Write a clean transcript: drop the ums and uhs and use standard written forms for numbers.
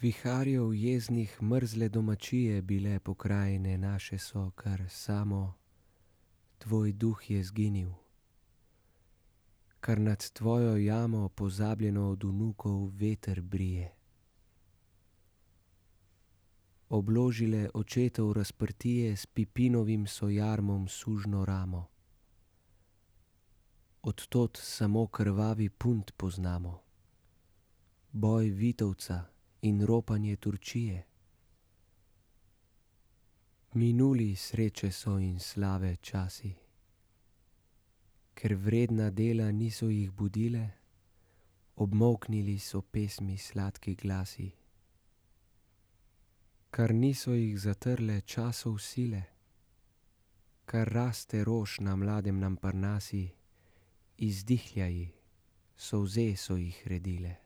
Viharjev jeznih mrzle domačije bile pokrajine naše so, kar samo tvoj duh je zginil, kar nad tvojo jamo pozabljeno od vnukov veter brije. Obložile očetov razprtije s pipinovim so jarmom sužno ramo. Od tod samo krvavi punt poznamo, boj Vitovca in ropanje Turčije. Minuli sreče so in slave časi, ker vredna dela niso jih budile, obmolknili so pesmi sladki glasi, kar niso jih zatrle časov sile, kar raste rož na mladem nam Parnasi, izdihljaji, solze so jih redile.